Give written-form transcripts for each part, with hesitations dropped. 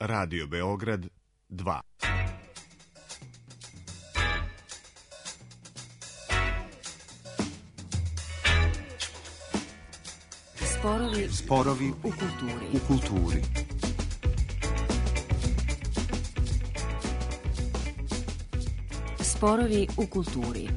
Radio Beograd 2. Sporovi u kulturi. Sporovi u kulturi.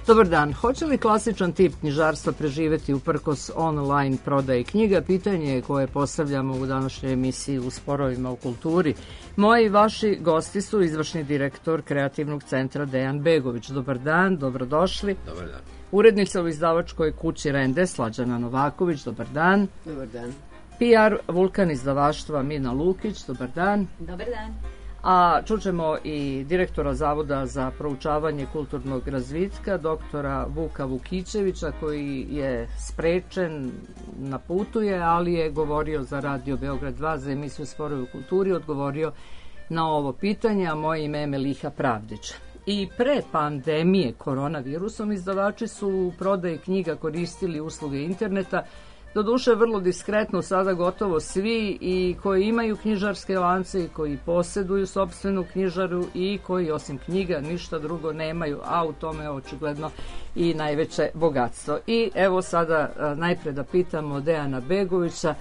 Dobar dan. Hoće li klasičan tip knjižarstva preživeti uprkos online prodaji knjiga? Pitanje je koje postavljamo u današnjoj emisiji u Sporovima u kulturi. Moji i vaši gosti su izvršni direktor Kreativnog centra Dejan Begović. Dobar dan, dobrodošli. Dobar dan. Urednica u izdavačkoj kući Rende, Slađana Novaković. Dobar dan. Dobar dan. PR Vulkan izdavaštva Mina Lukić. Dobar dan. Dobar dan. A čućemo i direktora Zavoda za proučavanje kulturnog razvitka, doktora Vuka Vukićevića, koji je sprečen, na putu je, ali je govorio za Radio Beograd 2, za emisiju Sporovi u kulturi, odgovorio na ovo pitanje, a moje ime je Meliha Pravdić. I pre pandemije koronavirusom izdavači su u prodaji knjiga koristili usluge interneta, doduše vrlo diskretno, sada gotovo svi, i koji imaju knjižarske lance i koji posjeduju sopstvenu knjižaru i koji osim knjiga ništa drugo nemaju, a u tome je očigledno i najveće bogatstvo. I evo sada najpre da pitamo Dejana Begovića,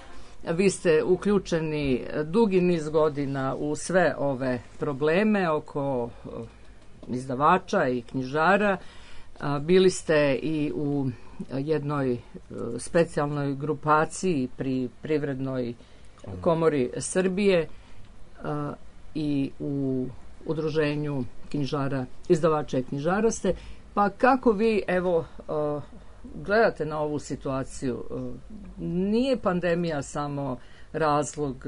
vi ste uključeni dugi niz godina u sve ove probleme oko izdavača i knjižara, bili ste i u jednoj specijalnoj grupaciji pri Privrednoj komori Srbije i u udruženju knjižara, izdavača i knjižara ste. Pa kako vi, evo, gledate na ovu situaciju? Nije pandemija samo razlog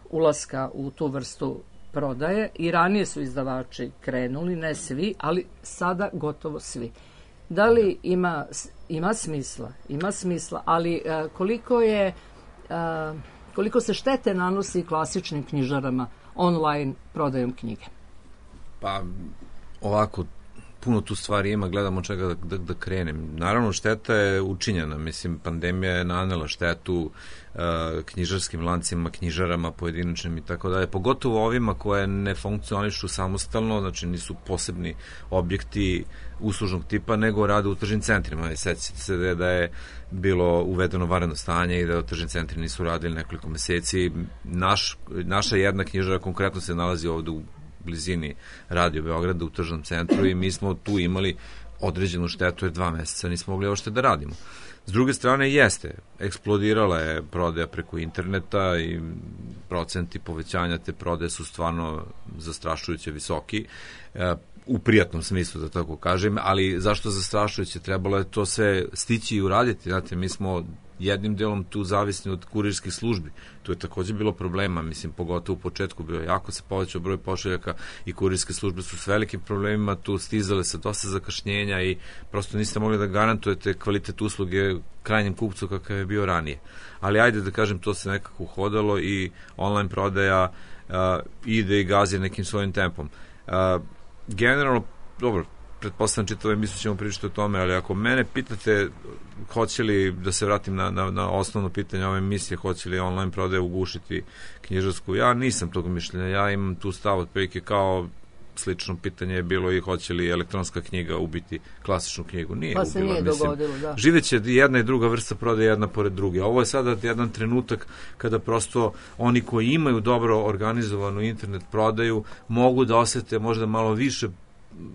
ulaska u tu vrstu prodaje, i ranije su izdavači krenuli, ne svi, ali sada gotovo svi. Da li ima smisla? Ima smisla, ali koliko se štete nanosi klasičnim knjižarama online prodajom knjige? Pa ovako, puno tu stvari ima, gledamo čega da krenem. Naravno, šteta je učinjena, mislim, pandemija je nanela štetu knjižarskim lancima, knjižarama pojedinačnim i tako dalje, pogotovo ovima koje ne funkcionišu samostalno, znači nisu posebni objekti uslužnog tipa, nego rade u tržnim centrima. Sećate se da je bilo uvedeno vanredno stanje i da tržni centri nisu radili nekoliko meseci. Naša jedna knjižara konkretno se nalazi ovde u blizini Radio Beograda u tržnom centru i mi smo tu imali određenu štetu jer 2 meseca nismo mogli ošte da radimo. S druge strane jeste, eksplodirala je prodaja preko interneta i procenti povećanja te prodaje su stvarno zastrašujuće visoki, u prijatnom smislu da tako kažem, ali zašto zastrašujuće? Trebalo je to sve stići i uraditi, znate, mi smo jednim delom tu zavisni od kurirskih službi. Tu je takođe bilo problema, mislim, pogotovo u početku bilo jako se povećao broj pošiljaka i kurirske službe su s velikim problemima tu stizale sa dosta zakašnjenja i prosto niste mogli da garantujete kvalitet usluge krajnjem kupcu kakav je bio ranije. Ali ajde da kažem, to se nekako uhodalo i online prodaja ide i gazi nekim svojim tempom. Generalno, dobro, pretpostavljam čitave emisiju ćemo pričati o tome, ali ako mene pitate hoće li, da se vratim na osnovno pitanje ove emisije, hoće li online prodaje ugušiti knjižarsku, ja nisam tog mišljenja, ja imam tu stav otprilike kao slično pitanje je bilo i hoće li elektronska knjiga ubiti klasičnu knjigu. Nije pa ubila, se nije dogodilo, da. Živeće jedna i druga vrsta prodaje jedna pored druge. Ovo je sada jedan trenutak kada prosto oni koji imaju dobro organizovanu internet prodaju mogu da osete možda malo više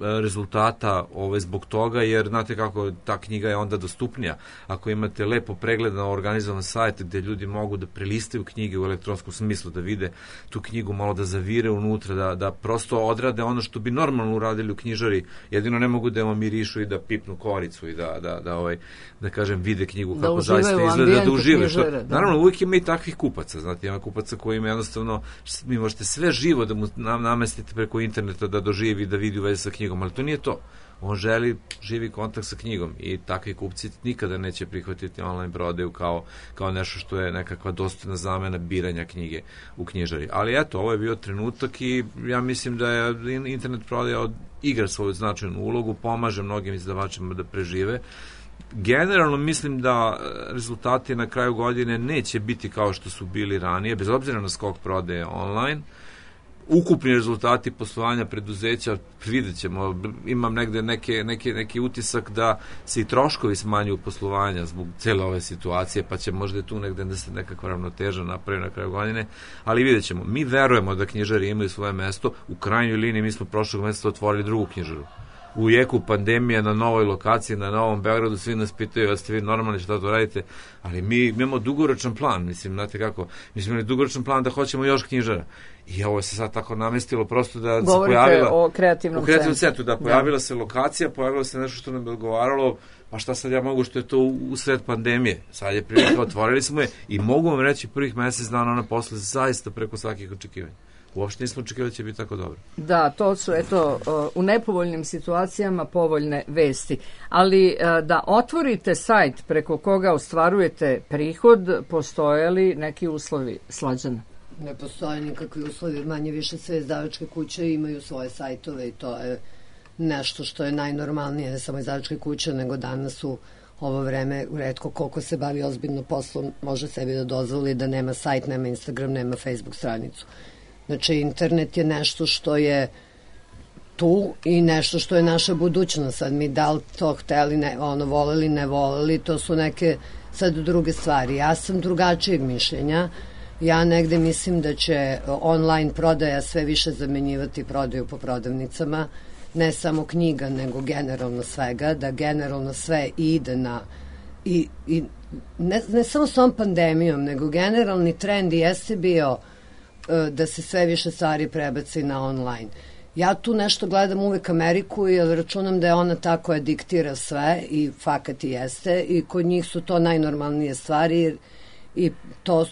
rezultata zbog toga, jer znate kako ta knjiga je onda dostupnija. Ako imate lepo pregledano organizovan sajt gde ljudi mogu da prelistaju knjige u elektronskom smislu, da vide tu knjigu, malo da zavire unutra, da prosto odrade ono što bi normalno uradili u knjižari, jedino ne mogu da vam mirišu i da pipnu koricu i da kažem vide knjigu kako zaista izgleda, da užive. Naravno, uvijek ima i takvih kupaca, znate, ima kupaca koji ima jednostavno, vi možete sve živo da mu namestite preko interneta da doživi, da vidi u vezi sa knjigom, ali to nije to. On želi živi kontakt sa knjigom i takvi kupci nikada neće prihvatiti online prodaju kao nešto što je nekakva dostojna zamena biranja knjige u knjižari. Ali eto, ovo je bio trenutak i ja mislim da je internet prodaja igra svoju značajnu ulogu, pomaže mnogim izdavačima da prežive. Generalno mislim da rezultati na kraju godine neće biti kao što su bili ranije, bez obzira na skok prodaje online. Ukupni rezultati poslovanja preduzeća, vidjet ćemo, imam negde neki utisak da se i troškovi smanjuju poslovanja zbog cele ove situacije, pa će možda tu negde da se nekakva ravnoteža napravi na kraju godine, ali vidjet ćemo. Mi verujemo da knjižari imaju svoje mesto, u krajnjoj liniji mi smo prošlog meseca otvorili drugu knjižaru. U jeku pandemije na novoj lokaciji, na Novom Beogradu, svi nas pitaju, da ste vi normalni šta to radite, ali mi imamo dugoročan plan, mislim, znate kako, mi smo imali dugoročan plan da hoćemo još knjižara. I ovo se sad tako namestilo prosto da se pojavila... Govorite o kreativnom centru, da, pojavila se lokacija, pojavilo se nešto što nam je odgovaralo, pa šta sad ja mogu što je to usred pandemije. Sad je prilika, otvorili smo je i mogu vam reći prvih mesec dana ona posle zaista preko svakih očekivanja. Uopšte nismo očekivali da će biti tako dobro. Da, to su, eto, u nepovoljnim situacijama povoljne vesti. Ali da otvorite sajt preko koga ostvarujete prihod, postoje li neki uslovi, Slađana? Ne postoje nikakvi uslovi, manje više sve izdavačke kuće imaju svoje sajtove i to je nešto što je najnormalnije, ne samo izdavačke kuće, nego danas u ovo vreme retko koliko se bavi ozbiljno poslom može sebi da dozvoli da nema sajt, nema Instagram, nema Facebook stranicu. Znači, internet je nešto što je tu i nešto što je naša budućnost. Sad mi da li to hteli, voleli, ne voleli, to su neke sad druge stvari. Ja sam drugačijeg mišljenja. Ja negde mislim da će online prodaja sve više zamenjivati prodaju po prodavnicama, ne samo knjiga, nego generalno svega, da generalno sve ide na... I ne samo s ovom pandemijom, nego generalni trend jeste bio da se sve više stvari prebaci na online. Ja tu nešto gledam uvek Ameriku jer računam da je ona ta koja diktira sve i fakat i jeste i kod njih su to najnormalnije stvari i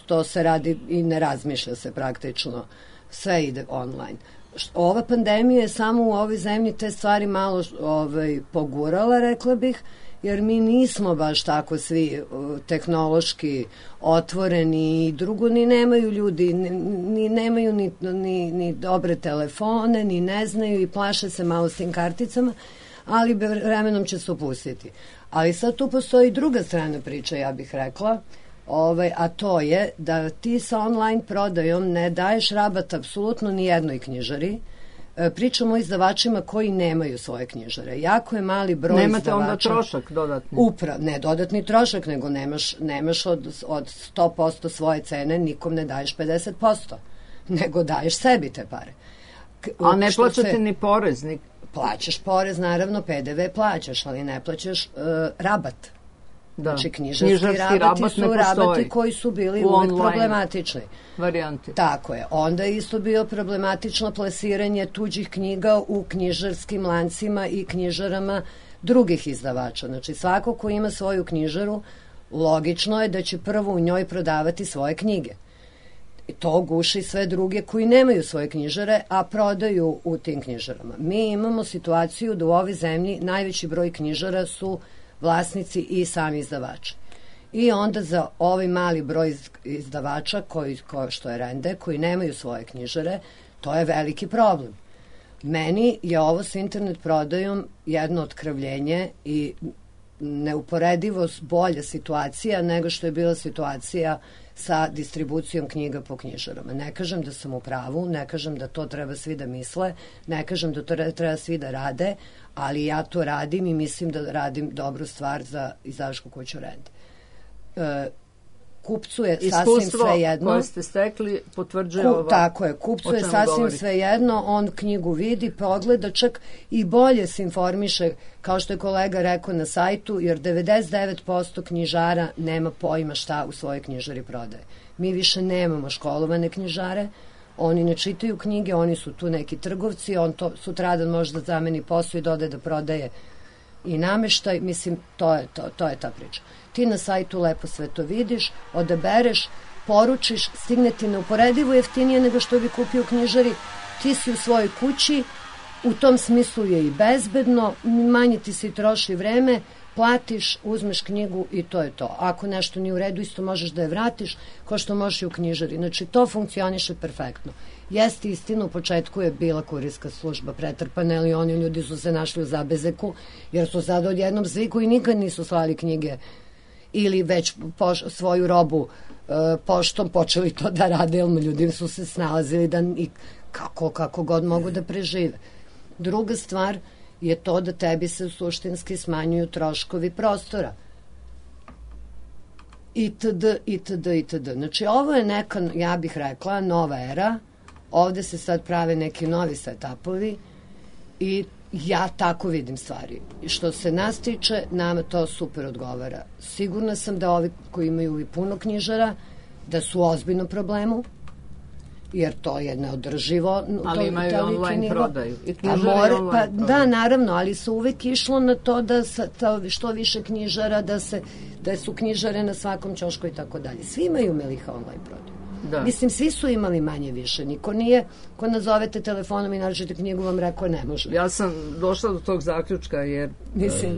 to se radi i ne razmišlja se praktično. Sve ide online. Ova pandemija je samo u ovoj zemlji te stvari malo pogurala, rekla bih, jer mi nismo baš tako svi tehnološki otvoreni i drugo, ni nemaju ljudi, ni nemaju ni dobre telefone, ni ne znaju i plaše se malo s tim karticama, ali vremenom će se opustiti. Ali sad tu postoji druga strana priče, ja bih rekla, a to je da ti sa online prodajom ne daješ rabat apsolutno ni jednoj knjižari. Pričamo o izdavačima koji nemaju svoje knjižare. Jako je mali broj Nemate izdavača. Onda trošak dodatni? Ne dodatni trošak, nego nemaš od 100% svoje cene, nikom ne daješ 50%, nego daješ sebi te pare. A ne plaćate ni porez? Plaćaš porez, naravno, PDV plaćaš, ali ne plaćaš rabat. Znači, knjižarski rabati su rabati koji su bili uvek problematični. Varijanti. Tako je. Onda je isto bio problematično plasiranje tuđih knjiga u knjižarskim lancima i knjižarama drugih izdavača. Znači, svako ko ima svoju knjižaru, logično je da će prvo u njoj prodavati svoje knjige. I to guši sve druge koji nemaju svoje knjižare, a prodaju u tim knjižarama. Mi imamo situaciju da u ovoj zemlji najveći broj knjižara su vlasnici i sami izdavači. I onda za ovaj mali broj izdavača, što je Rende, koji nemaju svoje knjižare, to je veliki problem. Meni je ovo s internet prodajom jedno otkravljenje i neuporedivo bolja situacija nego što je bila situacija sa distribucijom knjiga po knjižarama. Ne kažem da sam u pravu, ne kažem da to treba svi da misle, ne kažem da to treba svi da rade, ali ja to radim i mislim da radim dobru stvar za izdavačku kuću Rende. Kupcu je sasvim sve jedno. Iskustvo koje ste stekli potvrđuje ovo. Tako je, kupcu je sasvim sve jedno, on knjigu vidi, pogleda, čak i bolje se informiše, kao što je kolega rekao na sajtu, jer 99% knjižara nema pojma šta u svojoj knjižari prodaje. Mi više nemamo školovane knjižare, oni ne čitaju knjige, oni su tu neki trgovci, on to sutradan može da zameni posao i dode da prodaje i nameštaj, mislim, to je ta priča. Ti na sajtu lepo sve to vidiš, odabereš, poručiš, stigne ti neuporedivo jeftinije nego što bi kupio u knjižari, ti si u svojoj kući U tom smislu je i bezbedno, manje ti se i troši vreme, platiš, uzmeš knjigu i to je to. Ako nešto nije u redu, isto možeš da je vratiš, kao što možeš i u knjižari. Znači, to funkcioniše perfektno. Jeste istina, u početku je bila kurirska služba pretrpana, ali oni ljudi su se našli u zabezeku, jer su sada odjednom sviku i nikad nisu slali knjige ili već svoju robu poštom počeli to da rade, jer ljudi su se snalazili da i kako god mogu da prežive. Druga stvar je to da tebi se suštinski smanjuju troškovi prostora. Itd. Znači, ovo je neka, ja bih rekla, nova era. Ovde se sad prave neki novi setupovi i ja tako vidim stvari. I što se nas tiče, nama to super odgovara. Sigurna sam da ovi koji imaju i puno knjižara, da su u ozbiljnom problemu, jer to je neodrživo. Ali imaju i online prodaju. I knjižare online prodaju. Da, naravno, ali su uvek išlo na to da što više knjižara, da su knjižare na svakom ćošku i tako dalje. Svi imaju Meliha online prodaju. Da. Mislim, svi su imali manje više. Niko nije, ko nazovete telefonom i nađete knjigu, vam rekao ne može. Ja sam došla do tog zaključka jer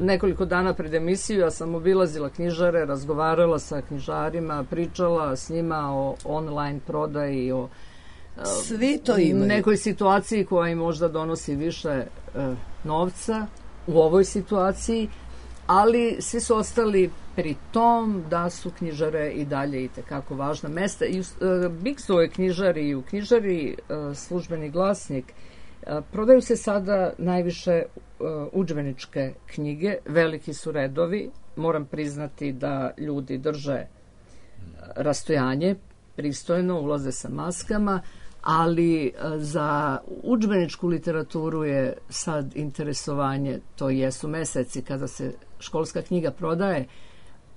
nekoliko dana pred emisiju ja sam obilazila knjižare, razgovarala sa knjižarima, pričala s njima o online prodaji, o svi to imaju. Nekoj situaciji koja im možda donosi više novca u ovoj situaciji, ali svi su ostali pri tom da su knjižare i dalje i tekako važna mesta. I u Bigsovoj knjižari i u knjižari Službeni glasnik prodaju se sada najviše udžbeničke knjige, veliki su redovi, moram priznati da ljudi drže rastojanje, pristojno, ulaze sa maskama, ali za udžbeničku literaturu je sad interesovanje, to jesu meseci kada se školska knjiga prodaje,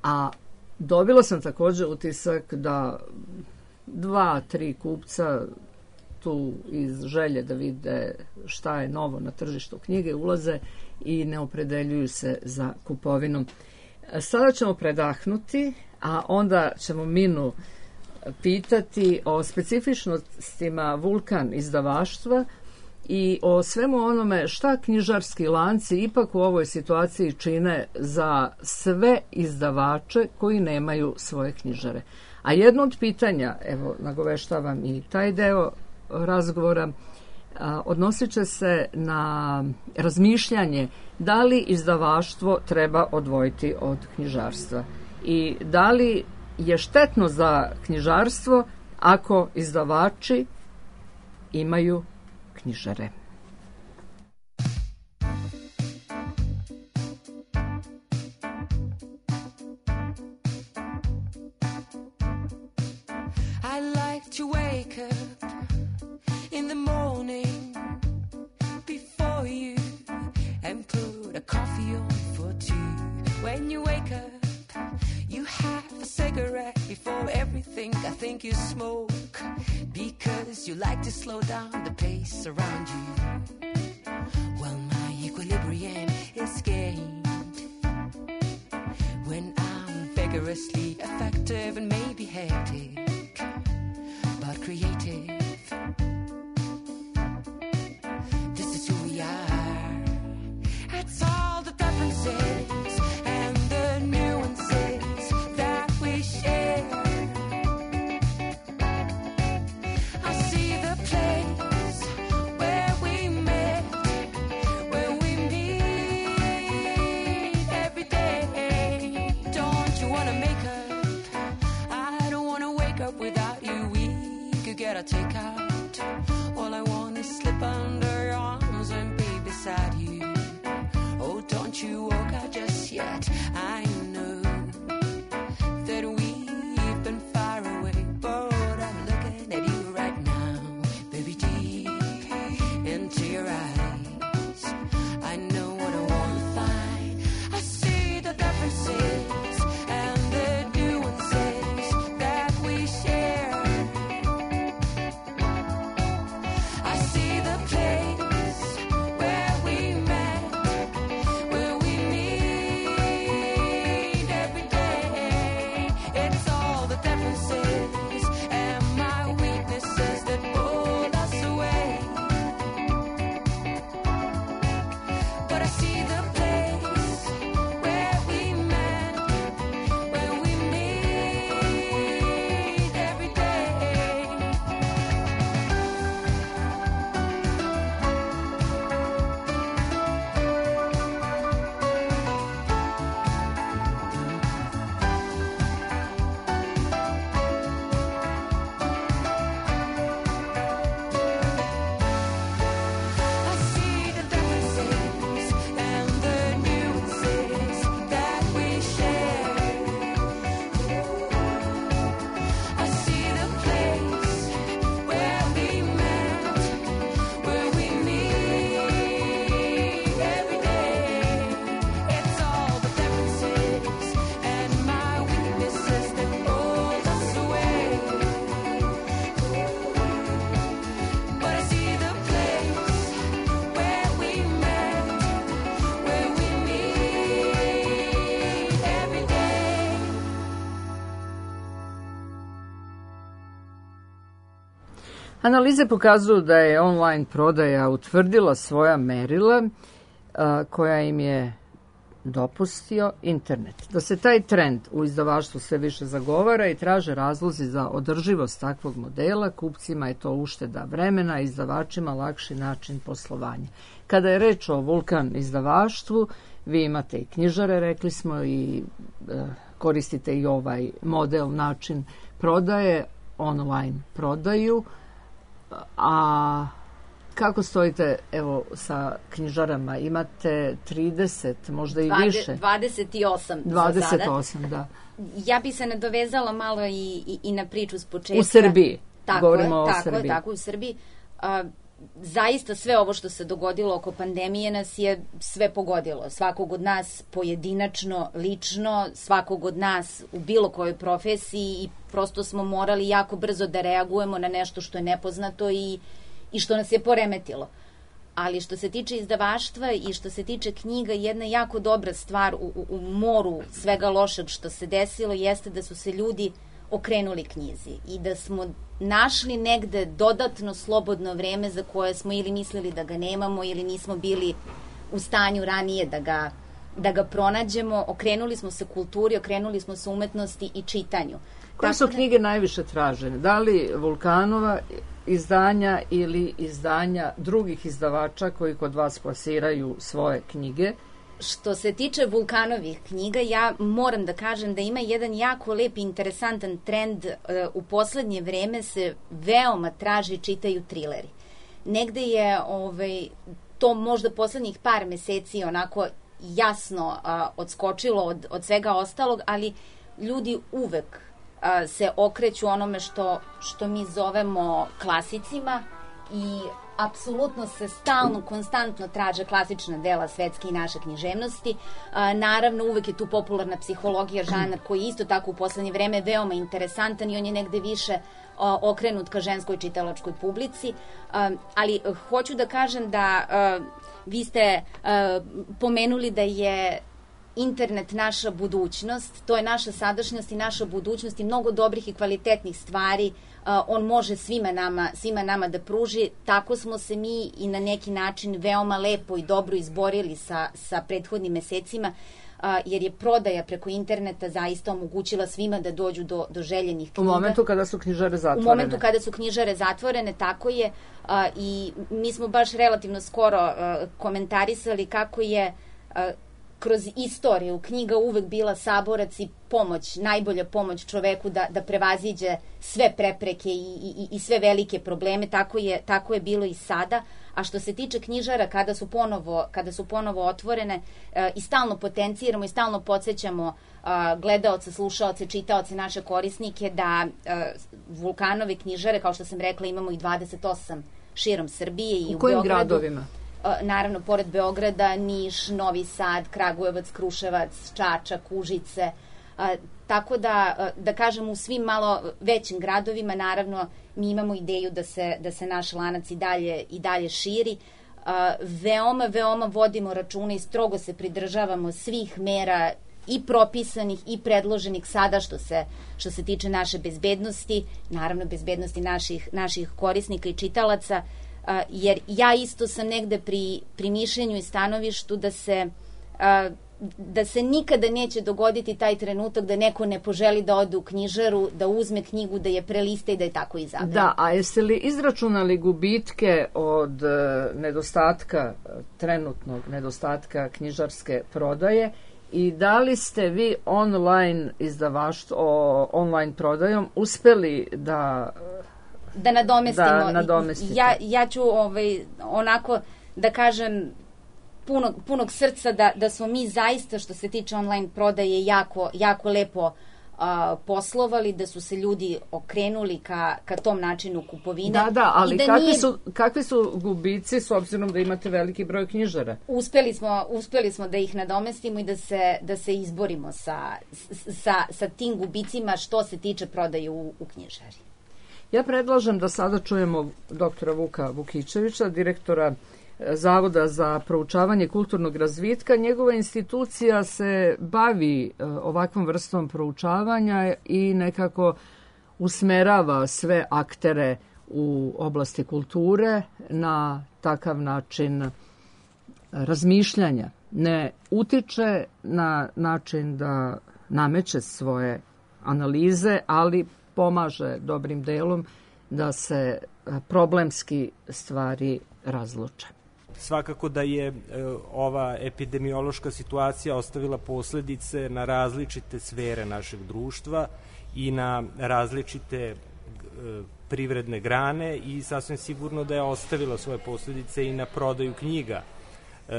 a dobila sam također utisak da 2-3 kupca tu iz želje da vide šta je novo na tržištu knjige ulaze i ne opredeljuju se za kupovinu. Sada ćemo predahnuti, a onda ćemo Minu pitati o specifičnostima Vulkan izdavaštva i o svemu onome šta knjižarski lanci ipak u ovoj situaciji čine za sve izdavače koji nemaju svoje knjižare. A jedno od pitanja, evo nagoveštavam i taj deo razgovora, odnosit će se na razmišljanje da li izdavaštvo treba odvojiti od knjižarstva i da li je štetno za knjižarstvo ako izdavači imaju knjižare. I like to wake up in the morning before you and put a coffee on for two. When you wake up, you have a cigarette before everything. I think you smoke because you like to slow down the pace around you. Well, my equilibrium is gained when I'm vigorously effective and maybe hectic, but creative. This is who we are. That's all the differences and the nuances that we share. I see the place where we met, where we meet every day. Don't you wanna make up? I don't wanna wake up without you. We could get a takeout. All I want is slip under your arms and be beside you. Oh, don't you walk out just yet. I know that we've been far away, but I'm looking at you right now, baby, deep into your eyes. I know what I want to find. I see the differences and the nuances that we share. I see the place where we met, where we meet Analize pokazuju da je online prodaja utvrdila svoja merila koja im je dopustio internet. Da se taj trend u izdavaštvu sve više zagovara i traže razlozi za održivost takvog modela, kupcima je to ušteda vremena, a izdavačima lakši način poslovanja. Kada je reč o Vulkan izdavaštvu, vi imate i knjižare, rekli smo, i koristite i ovaj model, način prodaje, online prodaju, a kako stojite, evo, sa knjižarama? Imate 30, možda i više? 28 za sada. 28, da. Ja bi se nadovezala malo i na priču s početka. U Srbiji. Govorimo o Srbiji. Tako, u Srbiji. Zaista sve ovo što se dogodilo oko pandemije nas je sve pogodilo. Svakog od nas pojedinačno, lično, svakog od nas u bilo kojoj profesiji i prosto smo morali jako brzo da reagujemo na nešto što je nepoznato i što nas je poremetilo. Ali što se tiče izdavaštva i što se tiče knjiga, jedna jako dobra stvar u moru svega lošeg što se desilo jeste da su se ljudi okrenuli knjizi i da smo našli negde dodatno slobodno vreme za koje smo ili mislili da ga nemamo ili nismo bili u stanju ranije da ga pronađemo. Okrenuli smo se kulturi, okrenuli smo se umetnosti i čitanju. Koje su knjige najviše tražene? Da li Vulkanova izdanja ili izdanja drugih izdavača koji kod vas plasiraju svoje knjige? Što se tiče Vulkanovih knjiga, ja moram da kažem da ima jedan jako lep i interesantan trend. U poslednje vreme se veoma traži i čitaju trileri. Negde je to možda poslednjih par meseci onako jasno odskočilo od svega ostalog, ali ljudi uvek se okreću onome što mi zovemo klasicima i apsolutno se stalno, konstantno traže klasična dela svetske i naše književnosti. Naravno, uvek je tu popularna psihologija, žanar koji je isto tako u poslednje vreme veoma interesantan i on je negde više okrenut ka ženskoj čitalačkoj publici. Ali hoću da kažem da vi ste pomenuli da je internet naša budućnost, to je naša sadašnjost i naša budućnost i mnogo dobrih i kvalitetnih stvari on može svima nama da pruži. Tako smo se mi i na neki način veoma lepo i dobro izborili sa prethodnim mesecima, jer je prodaja preko interneta zaista omogućila svima da dođu do željenih knjiga. U momentu kada su knjižare zatvorene. U momentu kada su knjižare zatvorene, tako je. I mi smo baš relativno skoro komentarisali kako je kroz istoriju knjiga uvek bila saborac i pomoć, najbolja pomoć čoveku da prevaziđe sve prepreke i sve velike probleme, tako je bilo i sada. A što se tiče knjižara, kada su ponovo otvorene i stalno potenciramo i stalno podsjećamo gledaoce, slušaoce, čitaoce, naše korisnike da Vulkanove knjižare, kao što sam rekla, imamo i 28 širom Srbije i u kojim Beogradu. Gradovima? Naravno, pored Beograda, Niš, Novi Sad, Kragujevac, Kruševac, Čačak, Užice. Tako da kažem, u svim malo većim gradovima, naravno, mi imamo ideju da se naš lanac i dalje širi. Veoma vodimo računa i strogo se pridržavamo svih mera i propisanih i predloženih sada što se tiče naše bezbednosti, naravno bezbednosti naših korisnika i čitalaca, jer ja isto sam negde pri mišljenju i stanovištu da se nikada neće dogoditi taj trenutak da neko ne poželi da ode u knjižaru, da uzme knjigu, da je prelista i da je tako izabere. Da, a jeste li izračunali gubitke od trenutnog nedostatka knjižarske prodaje i da li ste vi online online prodajom uspeli da nadomestite? Ja ću onako da kažem punog srca da smo mi zaista što se tiče online prodaje jako lepo poslovali, da su se ljudi okrenuli ka tom načinu kupovine. Da, ali kakvi su gubici s obzirom da imate veliki broj knjižara? Uspeli smo da ih nadomestimo i da se izborimo sa tim gubicima što se tiče prodaje u knjižari. Ja predlažem da sada čujemo doktora Vuka Vukičevića, direktora Zavoda za proučavanje kulturnog razvitka. Njegova institucija se bavi ovakvom vrstom proučavanja i nekako usmerava sve aktere u oblasti kulture na takav način razmišljanja. Ne utiče na način da nameće svoje analize, ali pomaže dobrim delom da se problemski stvari razluče. Svakako da je ova epidemiološka situacija ostavila posledice na različite sfere našeg društva i na različite privredne grane i sasvim sigurno da je ostavila svoje posledice i na prodaju knjiga.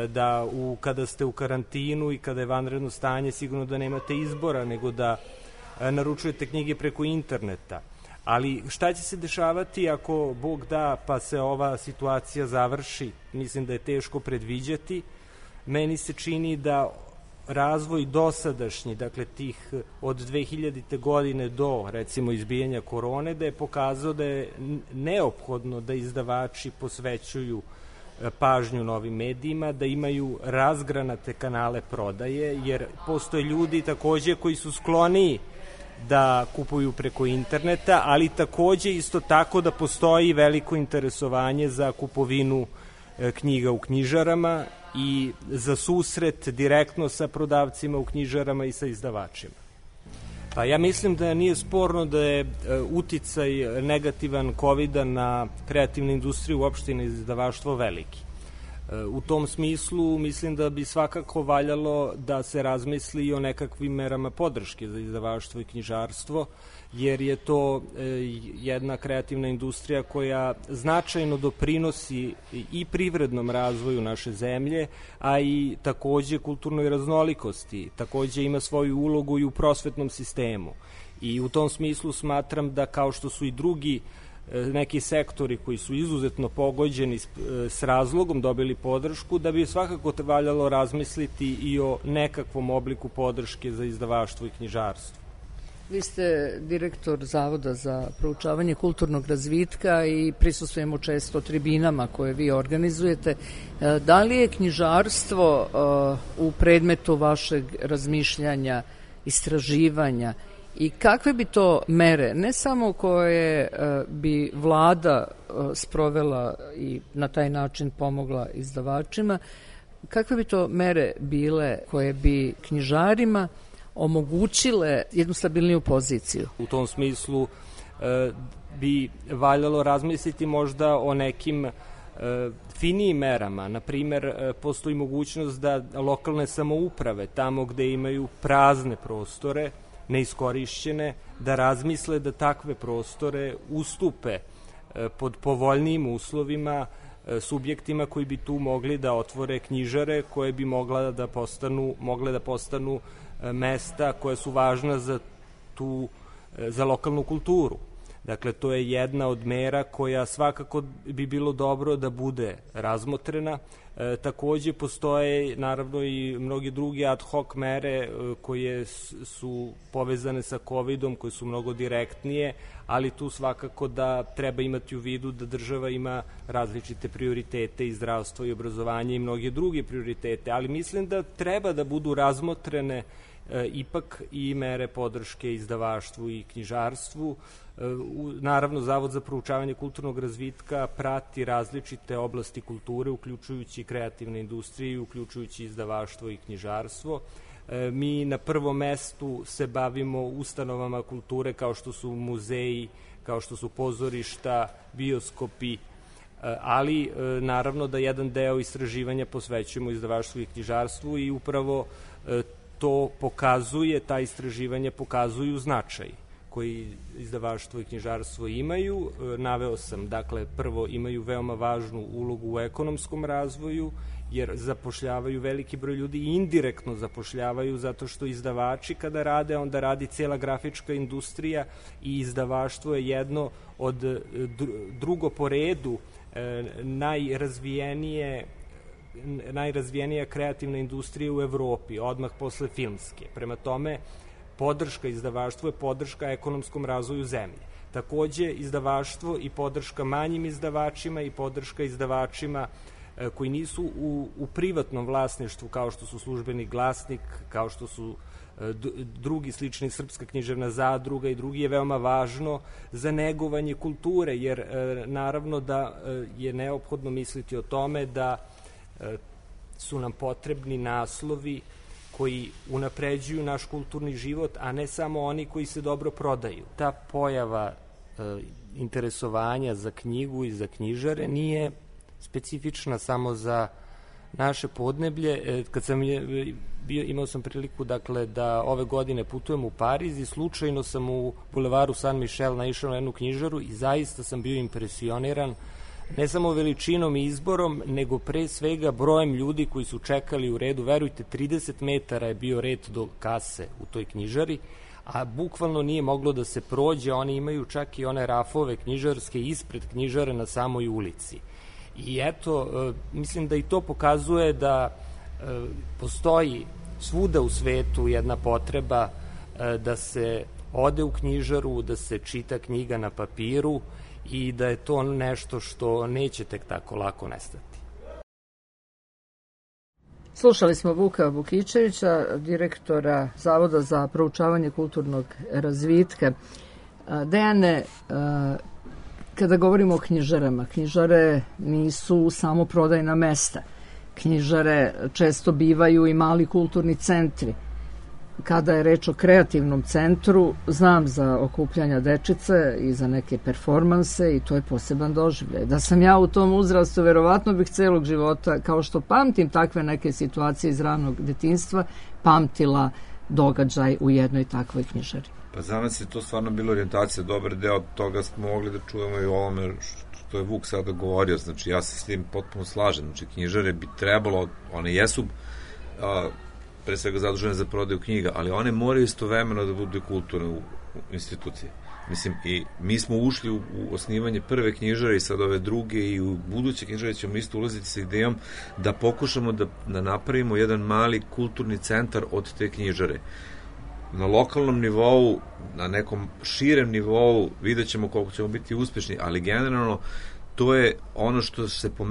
Da kada ste u karantinu i kada je vanredno stanje, sigurno da nemate izbora nego da naručujete knjige preko interneta. Ali šta će se dešavati ako Bog da pa se ova situacija završi? Mislim da je teško predviđati. Meni se čini da razvoj dosadašnji, dakle tih od 2000. godine do recimo izbijanja korone, da je pokazao da je neophodno da izdavači posvećuju pažnju novim medijima, da imaju razgranate kanale prodaje, jer postoje ljudi takođe koji su skloniji da kupuju preko interneta, ali takođe isto tako da postoji veliko interesovanje za kupovinu knjiga u knjižarama i za susret direktno sa prodavcima u knjižarama i sa izdavačima. Pa ja mislim da nije sporno da je uticaj negativan COVID-a na kreativnu industriju uopšte i na izdavaštvo veliki. U tom smislu mislim da bi svakako valjalo da se razmisli i o nekakvim merama podrške za izdavaštvo i knjižarstvo, jer je to jedna kreativna industrija koja značajno doprinosi i privrednom razvoju naše zemlje, a i takođe kulturnoj raznolikosti, takođe ima svoju ulogu i u prosvetnom sistemu. I u tom smislu smatram da kao što su i drugi neki sektori koji su izuzetno pogođeni s razlogom dobili podršku, da bi svakako valjalo razmisliti i o nekakvom obliku podrške za izdavaštvo i knjižarstvo. Vi ste direktor Zavoda za proučavanje kulturnog razvitka i prisustvujemo često tribinama koje vi organizujete. Da li je knjižarstvo u predmetu vašeg razmišljanja, istraživanja i kakve bi to mere, ne samo koje bi vlada sprovela i na taj način pomogla izdavačima, kakve bi to mere bile koje bi knjižarima omogućile jednu stabilniju poziciju? U tom smislu bi valjalo razmisliti možda o nekim finijim merama. Naprimer, postoji mogućnost da lokalne samouprave, tamo gde imaju prazne prostore, neiskorišćene, da razmisle da takve prostore ustupe pod povoljnijim uslovima subjektima koji bi tu mogli da otvore knjižare koje bi mogle da postanu mesta koja su važna za lokalnu kulturu. Dakle, to je jedna od mera koja svakako bi bilo dobro da bude razmotrena. Takođe postoje naravno i mnogi drugi ad hoc mere koje su povezane sa COVID-om, koje su mnogo direktnije, ali tu svakako da treba imati u vidu da država ima različite prioritete i zdravstvo i obrazovanje i mnoge druge prioritete, ali mislim da treba da budu razmotrene ipak i mere podrške izdavaštvu i knjižarstvu. Naravno, Zavod za proučavanje kulturnog razvitka prati različite oblasti kulture, uključujući kreativne industrije, uključujući izdavaštvo i knjižarstvo. Mi na prvom mestu se bavimo ustanovama kulture kao što su muzeji, kao što su pozorišta, bioskopi, ali naravno da jedan deo istraživanja posvećujemo izdavaštvu i knjižarstvu i upravo to pokazuje, ta istraživanja pokazuju značaj koji izdavaštvo i knjižarstvo imaju. Naveo sam, dakle, prvo imaju veoma važnu ulogu u ekonomskom razvoju, jer zapošljavaju veliki broj ljudi i indirektno zapošljavaju, zato što izdavači kada rade, onda radi cela grafička industrija i izdavaštvo je jedno od drugo po redu najrazvijenija kreativna industrija u Evropi, odmah posle filmske. Prema tome, podrška izdavaštvu je podrška ekonomskom razvoju zemlje. Takođe, izdavaštvo i podrška manjim izdavačima i podrška izdavačima koji nisu u privatnom vlasništvu, kao što su Službeni glasnik, kao što su drugi slični Srpska književna zadruga i drugi, je veoma važno za negovanje kulture, jer naravno da je neophodno misliti o tome da su nam potrebni naslovi koji unapređuju naš kulturni život, a ne samo oni koji se dobro prodaju. Ta pojava interesovanja za knjigu i za knjižare nije specifična samo za naše podneblje. Kad sam imao sam priliku, dakle, da ove godine putujem u Pariz i slučajno sam u bulevaru San Michel naišao na jednu knjižaru i zaista sam bio impresioniran ne samo veličinom i izborom, nego pre svega brojem ljudi koji su čekali u redu. Verujte, 30 metara je bio red do kase u toj knjižari, a bukvalno nije moglo da se prođe. Oni imaju čak i one rafove knjižarske ispred knjižare na samoj ulici. I eto, mislim da i to pokazuje da postoji svuda u svetu jedna potreba da se ode u knjižaru, da se čita knjiga na papiru i da je to nešto što neće tek tako lako nestati. Slušali smo Vuka Vukičevića, direktora Zavoda za proučavanje kulturnog razvitka. Dejane, kada govorimo o knjižarama, knjižare nisu samo prodajna mesta. Knjižare često bivaju i mali kulturni centri. Kada je reč o kreativnom centru, znam za okupljanja dečice i za neke performanse i to je poseban doživljaj. Da sam ja u tom uzrastu, verovatno bih celog života, kao što pamtim takve neke situacije iz ranog detinjstva, pamtila događaj u jednoj takvoj knjižari. Pa za nas je to stvarno bilo orijentacija, dobar deo toga smo mogli da čujemo i o ovome što je Vuk sada govorio, znači ja se s tim potpuno slažem, znači knjižare bi trebalo, one jesu pre svega zadužene za prodaju knjiga, ali one moraju istovremeno da budu kulturne institucije. Mislim, i mi smo ušli u osnivanje prve knjižare i sad ove druge i u buduće knjižare ćemo isto ulaziti sa idejom da pokušamo da napravimo jedan mali kulturni centar od te knjižare. Na lokalnom nivou, na nekom širem nivou vidjet ćemo koliko ćemo biti uspešni, ali generalno to je ono što se po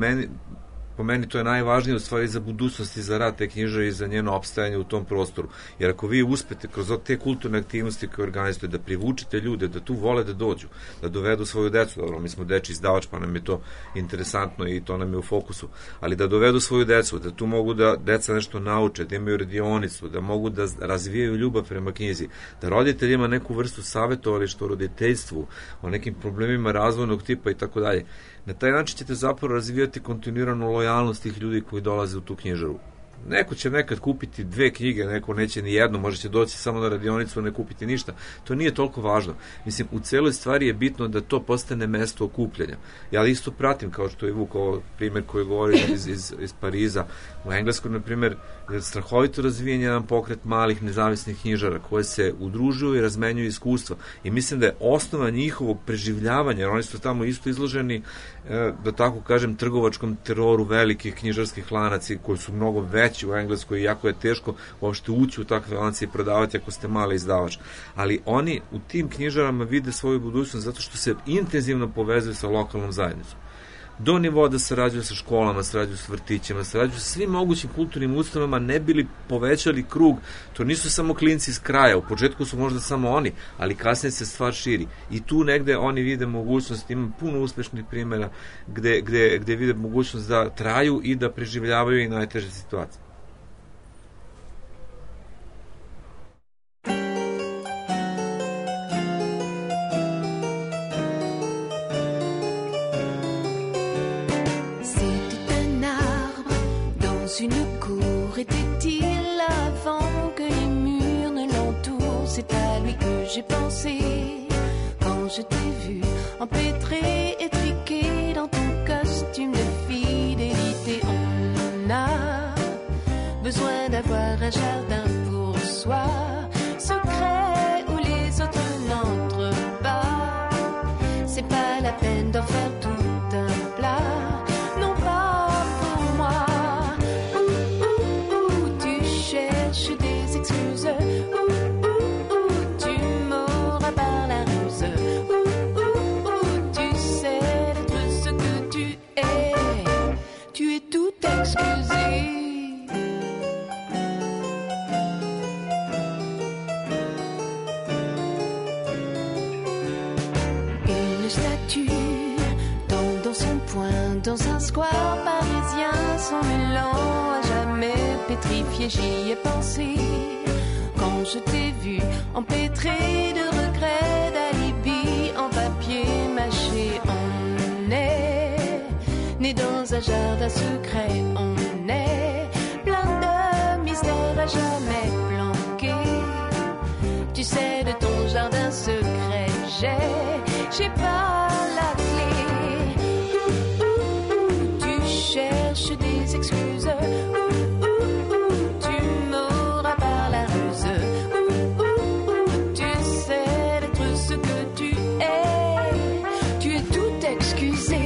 meni to je najvažnije u stvari za budućnost i za rad te knjižare i za njeno opstajanje u tom prostoru. Jer ako vi uspete kroz te kulturne aktivnosti koje organizujete da privučete ljude, da tu vole da dođu, da dovedu svoju decu, dobro, mi smo deči izdavač pa nam je to interesantno i to nam je u fokusu, ali da dovedu svoju decu, da tu mogu da deca nešto nauče, da imaju radionicu, da mogu da razvijaju ljubav prema knjizi, da roditelj ima neku vrstu savjetovališta o roditeljstvu, o nekim problemima razvojnog tipa i tako dalje. Na taj način ćete zapravo razvijati kontinuiranu lojalnost tih ljudi koji dolaze u tu knjižaru. Neko će nekad kupiti 2 knjige, neko neće ni jednu, možda će doći samo na radionicu, ne kupiti ništa. To nije toliko važno. Mislim, u celoj stvari je bitno da to postane mesto okupljanja. Ja isto pratim, kao što je Vuk, ovo primjer koji govori iz Pariza. U Engleskoj, na primjer, je strahovito razvijen jedan pokret malih nezavisnih knjižara koje se udružuju i razmenjuju iskustva. I mislim da je osnova njihovog preživljavanja, jer oni su tamo isto izloženi, da tako kažem, trgovačkom teroru velikih knjižarskih lanaca koji su mnogo veći u Engleskoj i jako je teško uopšte ući u takve lance i prodavati ako ste mali izdavač. Ali oni u tim knjižarama vide svoju budućnost zato što se intenzivno povezuju sa lokalnom zajednicom. Do nivoa da sarađuju sa školama, sarađuju sa vrtićima, sarađuju sa svim mogućim kulturnim ustanovama, ne bili povećali krug. To nisu samo klinci iz kraja, u početku su možda samo oni, ali kasnije se stvar širi. I tu negde oni vide mogućnost, ima puno uspešnih primjera gde vide mogućnost da traju i da preživljavaju i najteže situacije. Une cour était-il avant que les murs ne l'entourent? C'est à lui que j'ai pensé quand je t'ai vu empêtré, étriqué dans ton costume de fidélité. On a besoin d'avoir un jardin pour soi, secret où les autres n'entrent pas. C'est pas la peine d'en faire tout un plat. Tu es tout Dans un square parisien sans élan, à jamais pétrifié, j'y ai pensé. Quand je t'ai vu empêtré de regrets, d'alibi en papier mâché, on est né dans un jardin secret, on est plein de mystères à jamais planqué. Tu sais, de ton jardin secret, j'ai pas la clé. Tu cherches des excuses. Tu m'auras par la ruse. Tu sais d'être ce que tu es tout excusé.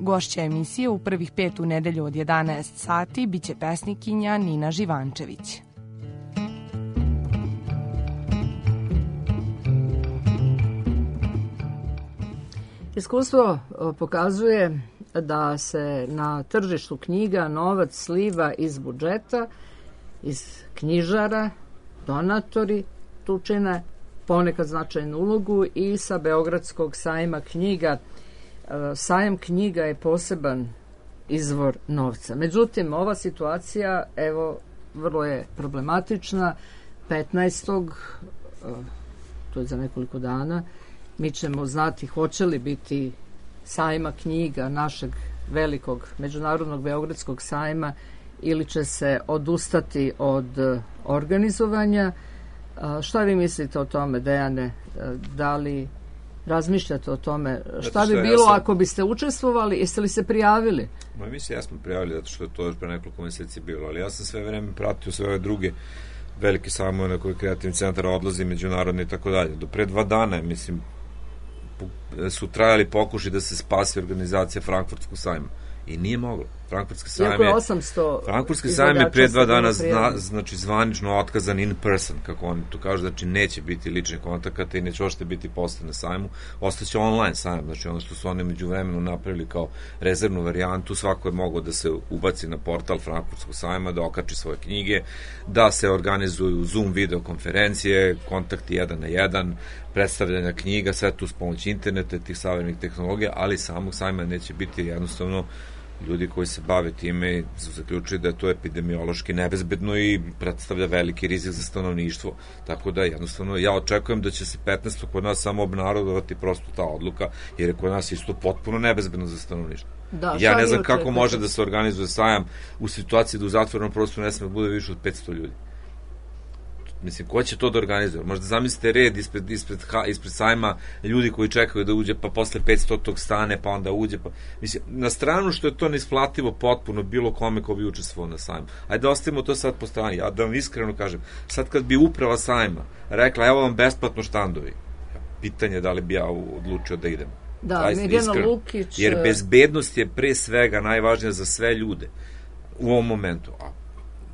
Gošća emisije u prvih 5 u nedelju od 11 sati biće pesnikinja Nina Živančević. Iskustvo pokazuje da se na tržištu knjiga novac sliva iz budžeta, iz knjižara, donatori tu čine ponekad značajnu ulogu i sa Beogradskog sajma knjiga. Sajam knjiga je poseban izvor novca. Međutim, ova situacija, evo, vrlo je problematična. 15. to je za nekoliko dana, mi ćemo znati hoće li biti sajma knjiga našeg velikog međunarodnog Beogradskog sajma ili će se odustati od organizovanja. Šta vi mislite o tome, Dejane? Da li razmišljate o tome? Šta bi bilo ako biste učestvovali? Jeste li se prijavili? Mislim, ja smo prijavili zato što je to još pre nekoliko meseci bilo, ali ja sam sve vreme pratio sve ove druge velike sajmove na koje kreativni centar odlazi, međunarodni i tako dalje. Do pre 2 dana, mislim, su trajali pokušaj da se spasi organizacija Frankfurtskog sajma. I nije moglo. Frankfurtski sajam je pre 2 dana znači zvanično otkazan in person, kako oni to kažu, znači neće biti ličnih kontakata i neće ošte biti postoje na sajmu, ostaće online sajam, znači ono što su oni među vremenu napravili kao rezervnu varijantu, svako je mogao da se ubaci na portal Frankfurtskog sajma, da okači svoje knjige, da se organizuju Zoom video konferencije, kontakti 1 na 1, predstavljanja knjiga, sve tu s pomoći interneta, tih savremenih tehnologija, ali samog sajma neće biti, jednostavno ljudi koji se bave time su zaključili da je to epidemiološki nebezbedno i predstavlja veliki rizik za stanovništvo. Tako da jednostavno ja očekujem da će se 15. kod nas samo obnarodovati prosto ta odluka, jer je kod nas isto potpuno nebezbedno za stanovništvo. Da, ja ne znam kako može da se organizuje sajam u situaciji da u zatvorenom prostoru ne sme da bude više od 500 ljudi. Mislim, ko će to da organizuje? Možda zamislite red ispred sajma ljudi koji čekaju da uđe, pa posle 500 tog stane, pa onda uđe. Pa... Mislim, na stranu što je to neisplativo potpuno bilo kome ko bi učestvovao na sajmu. Ajde da ostavimo to sad po strani. Ja da vam iskreno kažem, sad kad bi uprava sajma rekla, evo vam besplatno štandovi, pitanje da li bi ja odlučio da idem. Da, Mirjana Lukić... Jer bezbednost je pre svega najvažnija za sve ljude u ovom momentu.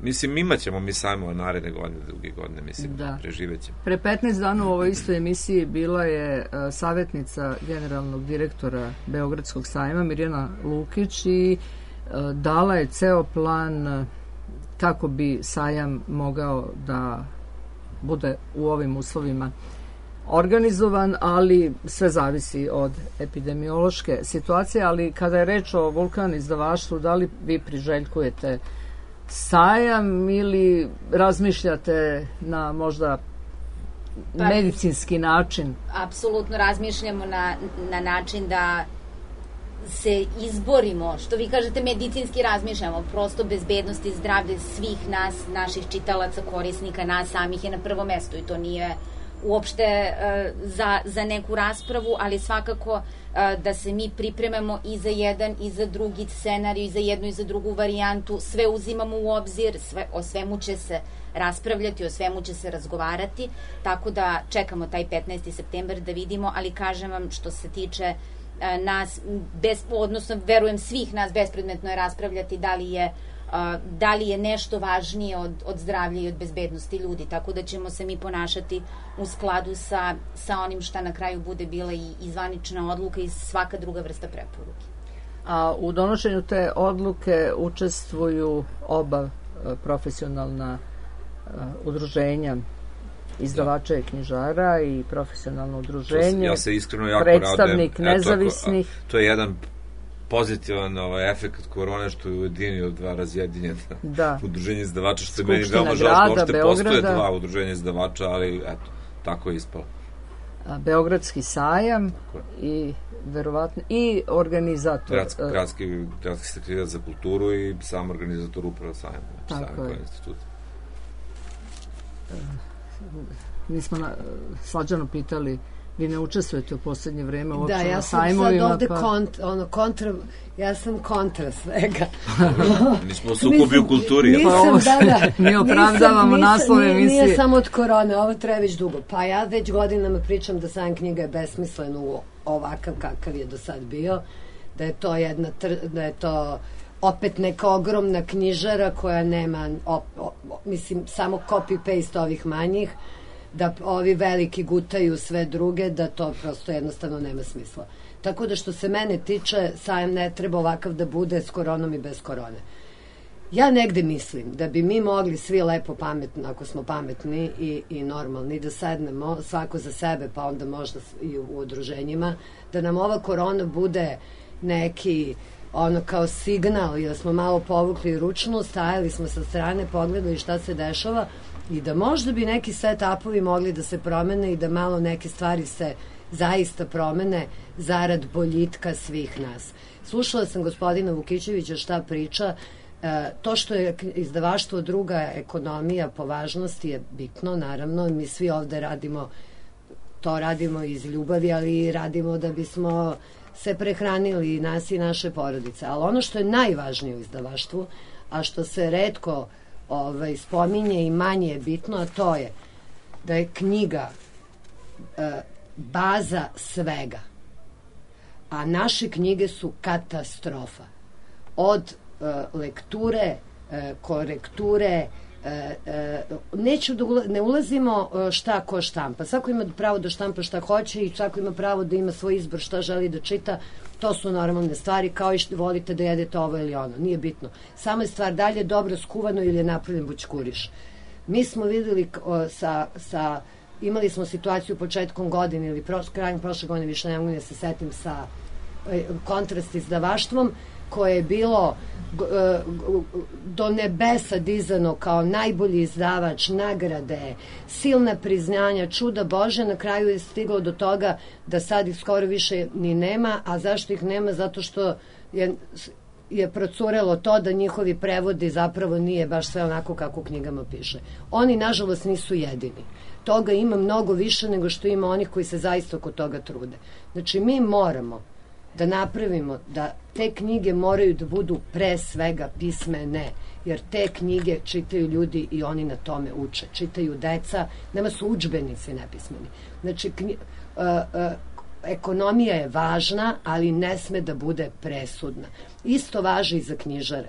Mislim, imat ćemo mi sajmova naredne godine, druge godine, mislim, preživet ćemo. Pre 15 dana u ovoj istoj emisiji bila je savjetnica generalnog direktora Beogradskog sajma, Mirjana Lukić, i dala je ceo plan kako bi sajam mogao da bude u ovim uslovima organizovan, ali sve zavisi od epidemiološke situacije, ali kada je reč o Vulkan izdavaštvu, da li vi priželjkujete sajam ili razmišljate na možda medicinski način? Apsolutno razmišljamo na način da se izborimo, što vi kažete medicinski razmišljamo, prosto bezbednost i zdravlje svih nas, naših čitalaca, korisnika, nas samih je na prvom mestu i to nije uopšte za neku raspravu, ali svakako da se mi pripremamo i za jedan i za drugi scenarij, i za jednu i za drugu varijantu, sve uzimamo u obzir, o svemu će se raspravljati, o svemu će se razgovarati, tako da čekamo taj 15. septembar da vidimo, ali kažem vam što se tiče nas, odnosno verujem svih nas, bespredmetno je raspravljati da li je nešto važnije od zdravlja i od bezbednosti ljudi, tako da ćemo se mi ponašati u skladu sa onim šta na kraju bude bila i zvanična odluka i svaka druga vrsta preporuke. A u donošenju te odluke učestvuju oba profesionalna udruženja izdavača i knjižara i profesionalno udruženje, ja se iskreno jako predstavnik radujem. nezavisnih. To je jedan pozitivan efekt korone što je ujedinio dva razjedinjena udruženja izdavača, što je meni veoma žao, uopšte postoje dva udruženja izdavača, ali eto, tako je ispalo. Beogradski sajam i verovatno i organizator Gradski sekretarijat za kulturu i sam organizator upravo sajam kao institut. Mi smo Slađanu pitali, vi ne učestvujete u poslednje vreme uopće na sajmovima. Da, ja sam sad ovde ja sam kontra svega. Nismo u sukobi u kulturi. Mi opravdavamo naslove emisije. Nije samo od korone, ovo traje već dugo. Pa ja već godinama pričam da sajam knjiga je besmislen u ovakav kakav je do sad bio, da je to opet neka ogromna knjižara koja nema, mislim, samo copy-paste ovih manjih, da ovi veliki gutaju sve druge, da to prosto jednostavno nema smisla. Tako da što se mene tiče, sajam ne treba ovakav da bude s koronom i bez korone. Ja negde mislim da bi mi mogli svi lepo pametno, ako smo pametni i normalni, da sednemo svako za sebe, pa onda možda i u udruženjima, da nam ova korona bude neki kao signal, jer smo malo povukli ručnu, stajali smo sa strane, pogledali šta se dešava i da možda bi neki set-upovi mogli da se promene i da malo neke stvari se zaista promene zarad boljitka svih nas. Slušala sam gospodina Vukićevića šta priča, to što je izdavaštvo druga ekonomija po važnosti je bitno, naravno, mi svi ovde radimo iz ljubavi, ali radimo da bismo se prehranili nas i naše porodice. Ali ono što je najvažnije u izdavaštvu, a što se retko spominje i manje je bitno, a to je da je knjiga baza svega. A naše knjige su katastrofa. Od lekture, korekture, ne ulazimo šta ko štampa. Svako ima pravo da štampa šta hoće i svako ima pravo da ima svoj izbor šta želi da čita. To su normalne stvari, kao i što volite da jedete ovo ili ono. Nije bitno. Samo je stvar da li je dobro skuvano ili je napravljen bućkuriš. Mi smo videli imali smo situaciju početkom godine ili krajem prošle godine, više ne mogu da se setim, sa Kontrast izdavaštvom, koje je bilo do nebesa dizano kao najbolji izdavač, nagrade, silna priznanja, čuda Bože, na kraju je stiglo do toga da sad ih skoro više ni nema, a zašto ih nema? Zato što je procurelo to da njihovi prevodi zapravo nije baš sve onako kako u knjigama piše. Oni, nažalost, nisu jedini. Toga ima mnogo više nego što ima onih koji se zaista oko toga trude. Znači, mi moramo da napravimo da te knjige moraju da budu pre svega pismene, jer te knjige čitaju ljudi i oni na tome uče. Čitaju deca, nama su udžbenici nepismeni. Znači, ekonomija je važna, ali ne sme da bude presudna. Isto važi i za knjižare.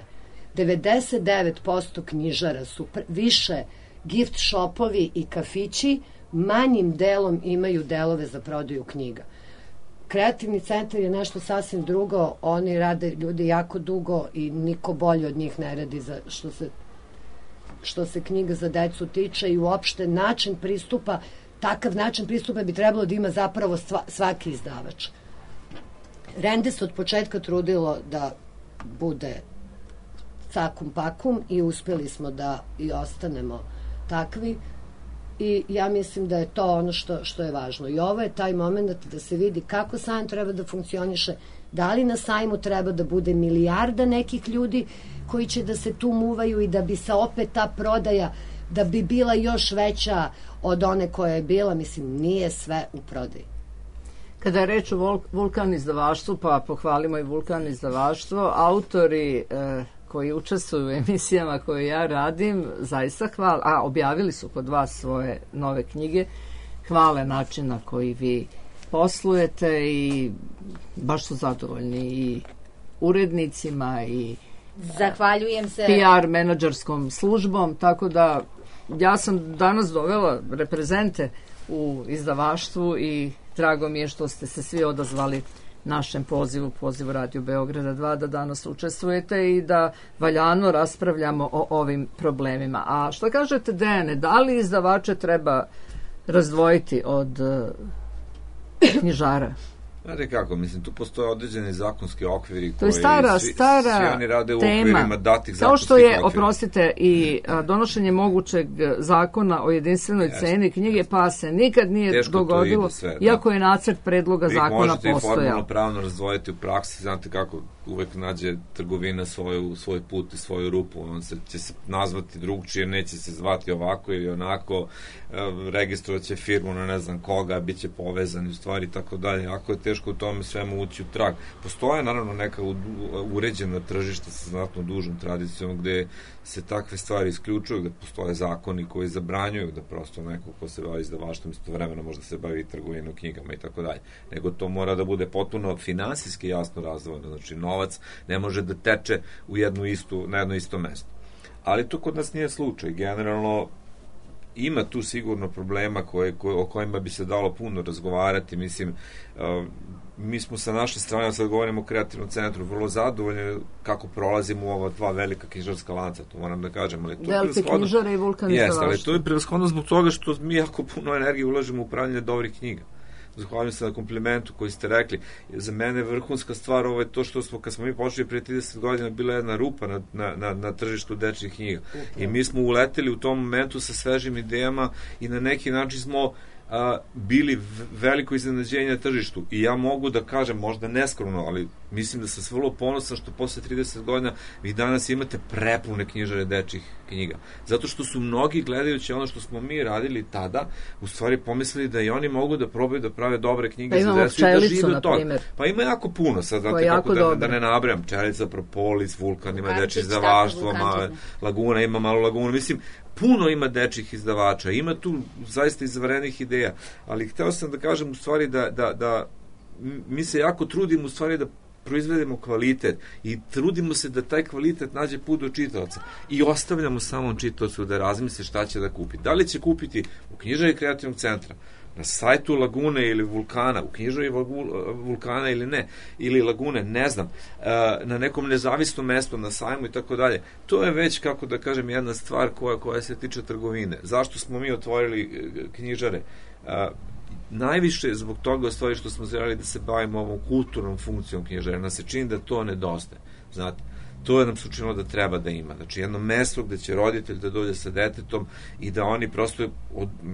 99% knjižara su više gift shopovi i kafići, manjim delom imaju delove za prodaju knjiga. Kreativni centar je nešto sasvim drugo, oni rade ljudi jako dugo i niko bolje od njih ne radi što se knjiga za decu tiče i uopšte način pristupa takav način pristupa bi trebalo da ima zapravo svaki izdavač. Rende se od početka trudilo da bude cakum pakum i uspeli smo da i ostanemo takvi i ja mislim da je to ono što je važno. I ovo je taj moment da se vidi kako sajam treba da funkcioniše, da li na sajmu treba da bude milijarda nekih ljudi koji će da se tu muvaju i da bi se opet ta prodaja, da bi bila još veća od one koja je bila, mislim, nije sve u prodaji. Kada je reč o Vulkan izdavaštvu, pa pohvalimo i Vulkan izdavaštvo, autori koji učestvuju u emisijama koje ja radim, zaista hvale, a objavili su kod vas svoje nove knjige, hvale način na koji vi poslujete i baš su zadovoljni i urednicima i zahvaljujem se PR menadžerskom službom, tako da ja sam danas dovela reprezente u izdavaštvu i drago mi je što ste se svi odazvali našem pozivu Radio Beograda 2 da danas učestvujete i da valjano raspravljamo o ovim problemima. A što kažete, Dejane, da li izdavače treba razdvojiti od knjižara? Znate kako, mislim, tu postoje određeni zakonski okviri to je stara svi oni rade u tema. Okvirima datih zakonskih kao što je, okvira. Oprostite, i donošenje mogućeg zakona o jedinstvenoj ceni knjige, pa se nikad nije teško dogodilo, sve, iako je nacrt predloga zakona postojao. Vi možete i formalno pravno razdvojiti u praksi, znate kako uvek nađe trgovina svoj put i svoju rupu, on će se nazvati drugčije, neće se zvati ovako ili onako, registrovat će firmu na ne znam koga, bit će povezani u stvari, tako dalje. Ako je teško u tome svemu ući u trag. Postoje naravno neka uređena tržišta sa znatno dužom tradicijom gde se takve stvari isključuju, gde postoje zakoni koji zabranjuju da prosto neko ko se bavi izdavaštvom istovremeno možda se bavi trgovinom knjigama i tako dalje. Nego to mora da bude potpuno finansijski jasno razdvojeno, znači novac ne može da teče na jedno isto mesto. Ali to kod nas nije slučaj. Generalno ima tu sigurno problema o kojima bi se dalo puno razgovarati. Mislim, mi smo sa naše strane, sad govorimo o kreativnom centru, vrlo zadovoljni kako prolazimo u ova dva velika knjižarska lanca, to moram da kažem. Delfi knjižare i Vulkan izdavaštvo. Jeste, ali to je prevashodno zbog toga što mi jako puno energije ulažemo u upravljanje dobrih knjiga. Zahvaljujem se na komplimentu koji ste rekli. Za mene vrhunska stvar ovo je to što smo, kad smo mi počeli prije 30 godina, bila jedna rupa na tržištu dečjih knjiga. I mi smo uleteli u tom momentu sa svežim idejama i na neki način smo bili veliko iznenađenje na tržištu. I ja mogu da kažem, možda neskromno, ali mislim da sam vrlo ponosan što posle 30 godina vi danas imate prepune knjižare dečjih knjiga. Zato što su mnogi, gledajući ono što smo mi radili tada, u stvari pomislili da i oni mogu da probaju da prave dobre knjige za decu i da žive od toga. Pa ima jako puno, sad znate kako da ne nabrajam. Čelica, Propolis, Vulkan, ima dečje izdavaštvo, Laguna, ima Malu Lagunu. Mislim, puno ima dečjih izdavača, ima tu zaista izvarenih ideja, ali hteo sam da kažem u stvari da mi se jako trudimo u stvari da proizvedemo kvalitet i trudimo se da taj kvalitet nađe put do čitaoca i ostavljamo samom čitaocu da razmisli šta će da kupi. Da li će kupiti u knjižari kreativnog centra, na sajtu Lagune ili Vulkana, u knjižari Vulkana ili ne, ili Lagune, ne znam, na nekom nezavisnom mestu, na sajmu i tako dalje. To je već, kako da kažem, jedna stvar koja se tiče trgovine. Zašto smo mi otvorili knjižare? Najviše zbog toga, u stvari, što smo želeli da se bavimo ovom kulturnom funkcijom knjižare. Nas se čini da to nedostaje. Znate, to je nam se učinilo da treba da ima. Znači, jedno mesto gde će roditelj da dođe sa detetom i da oni prosto,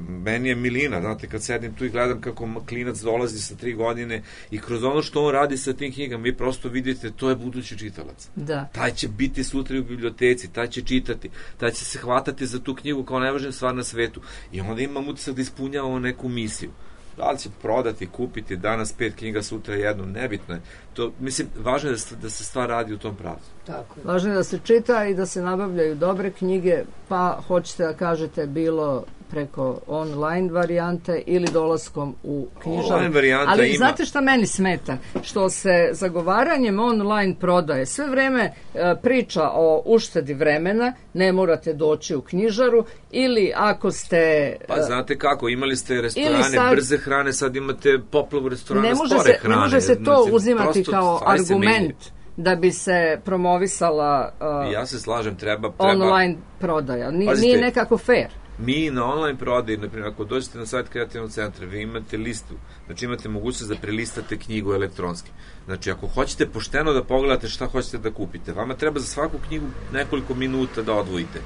meni je milina, znate, kad sedim tu i gledam kako klinac dolazi sa 3 godine i kroz ono što on radi sa tim knjigama, vi prosto vidite, to je budući čitalac. Da. Taj će biti sutra u biblioteci, taj će čitati, taj će se hvatati za tu knjigu kao najvažnija stvar na svetu. I onda imam utisak da ispunjavamo neku misiju. Da li će prodati, kupiti danas 5 knjiga, sutra jednu, nebitno je. To, mislim, važno je da se stvar radi u tom pravcu. Tako je. Važno je da se čita i da se nabavljaju dobre knjige, pa hoćete da kažete bilo preko online varijante ili dolaskom u knjižaru. Ali ima. Znate šta meni smeta? Što se zagovaranjem online prodaje sve vreme priča o uštedi vremena, ne morate doći u knjižaru, ili ako ste... Pa znate kako, imali ste restorane brze hrane, sad imate poplavu restorana spore hrane. Ne može se to uzimati kao argument da bi se promovisala ja se slažem, treba online prodaja. Nije nekako fair. Mi na online prodaji, na primjer, ako dođete na sajt kreativnog centra, vi imate listu, znači imate mogućnost da prelistate knjigu elektronski. Znači, ako hoćete pošteno da pogledate šta hoćete da kupite, vama treba za svaku knjigu nekoliko minuta da odvojite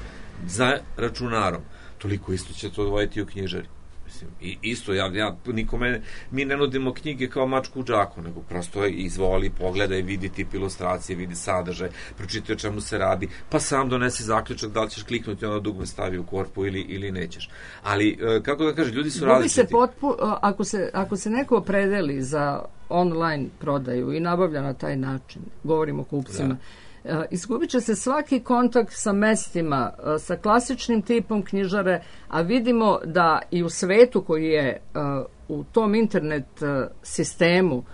za računarom. Toliko isto ćete odvojiti u knjižari. Mislim, i isto, nikome, mi ne nudimo knjige kao mačku u džaku, nego prosto izvoli, pogledaj, vidi tip ilustracije, vidi sadržaj, pročitaj o čemu se radi, pa sam donesi zaključak da li ćeš kliknuti ono dugme stavi u korpu ili nećeš. Ali, kako da kažem, ljudi su različiti. Ako se neko opredeli za online prodaju i nabavlja na taj način, govorimo o kupcima, izgubit će se svaki kontakt sa mestima, sa klasičnim tipom knjižare, a vidimo da i u svetu koji je u tom internet sistemu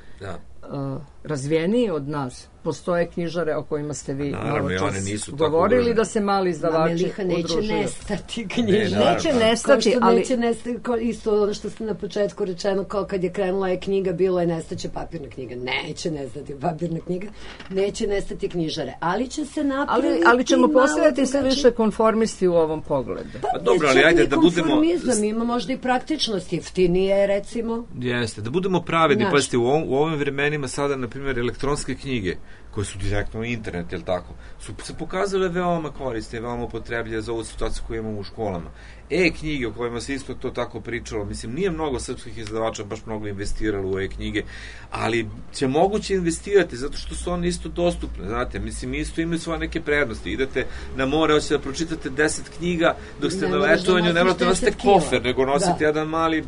razvijeniji od nas, postoje knjižare o kojima ste vi malo čas govorili, da se mali izdavači udružuju. Neće nestati knjižare. Neće nestati, ali... Neće nestati, isto ono što ste na početku rečeno, kao kad je krenula je knjiga, bilo je nestaće papirna knjiga. Neće nestati papirna knjiga, neće nestati knjižare, ali će se napraviti... Ali ćemo postaviti sve više konformisti u ovom pogledu. Pa dobro, ali ajde da budemo... Konformizam, ima možda i praktičnost, jeftinije, recimo. Jeste, da budemo pravedni, pazite, u ovim vremenima sada, na primjer, elektronske knjige, koje su direktno u internet, jel tako, su se pokazale veoma korisne, veoma upotrebljive za ovu situaciju koju imamo u školama. E-knjige o kojima se isto to tako pričalo, mislim, nije mnogo srpskih izdavača baš mnogo investiralo u e-knjige, ali će moguće investirati, zato što su one isto dostupne, znate, mislim, isto imaju svoje neke prednosti. Idete na more, hoćete da pročitate 10 knjiga, dok ste na letovanju, ne morate nosite kofer, nego nosite jedan mali